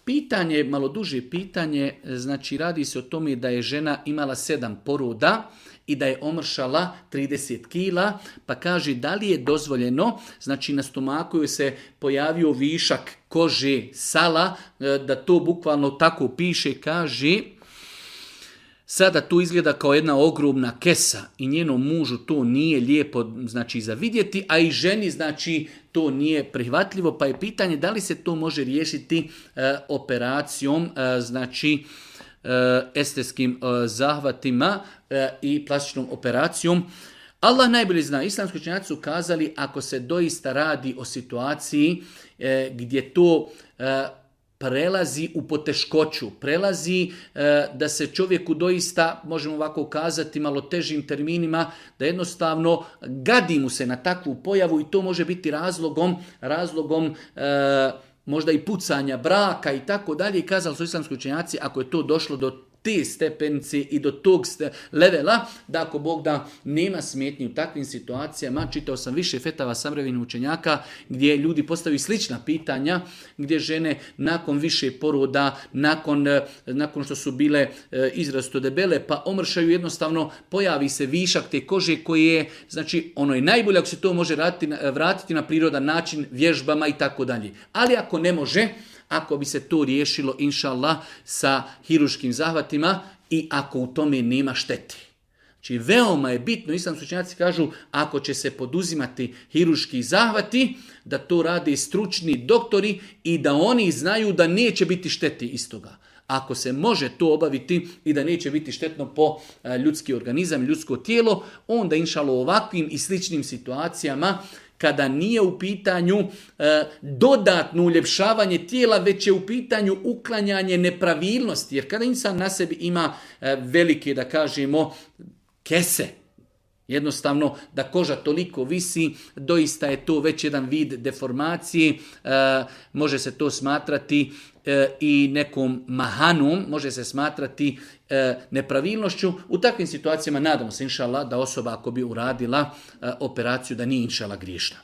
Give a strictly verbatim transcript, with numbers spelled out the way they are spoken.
Pitanje, malo duže pitanje, znači radi se o tome da je žena imala sedam poroda i da je omršala trideset kila, pa kaže da li je dozvoljeno, znači na stomaku joj se pojavio višak kože, sala, da to bukvalno tako piše, kaže sada tu izgleda kao jedna ogromna kesa i njenom mužu to nije lijepo znači za vidjeti, a i ženi znači to nije prihvatljivo, pa je pitanje da li se to može riješiti e, operacijom, e, znači e, estetskim e, zahvatima e, i plastičnom operacijom. Allah najbolje zna, islamski učenjaci su kazali ako se doista radi o situaciji e, gdje to e, prelazi u poteškoću, prelazi e, da se čovjeku doista, možemo ovako kazati malo težim terminima, da jednostavno gadi mu se na takvu pojavu i to može biti razlogom, razlogom e, možda i pucanja braka i tako dalje. I kazali su islamski učenjaci ako je to došlo do te stepenice i do tog levela, da ako Bog da nema smetnji u takvim situacijama, čitao sam više fetava savremenih učenjaka gdje ljudi postavaju slična pitanja, gdje žene nakon više poroda, nakon, nakon što su bile izrazito debele, pa omršaju jednostavno, pojavi se višak te kože koje je, znači ono je najbolje ako se to može vratiti, vratiti na prirodan način, vježbama i tako dalje. Ali ako ne može, ako bi se to riješilo, inša Allah, sa hiruškim zahvatima i ako u tome nema štete. Znači, veoma je bitno, islamski učenjaci kažu, ako će se poduzimati hiruški zahvati, da to rade stručni doktori i da oni znaju da neće biti šteti iz toga. Ako se može to obaviti i da neće biti štetno po ljudski organizam, ljudsko tijelo, onda inša Allah u ovakvim i sličnim situacijama, kada nije u pitanju e, dodatno uljepšavanje tijela, već je u pitanju uklanjanje nepravilnosti. Jer kada insan na sebi ima e, velike, da kažemo, kese, jednostavno da koža toliko visi, doista je to već jedan vid deformacije, e, može se to smatrati e, i nekom mahanom, može se smatrati e, nepravilnošću. U takvim situacijama nadamo se, inša Allah, da osoba ako bi uradila e, operaciju da nije inša Allah griješna.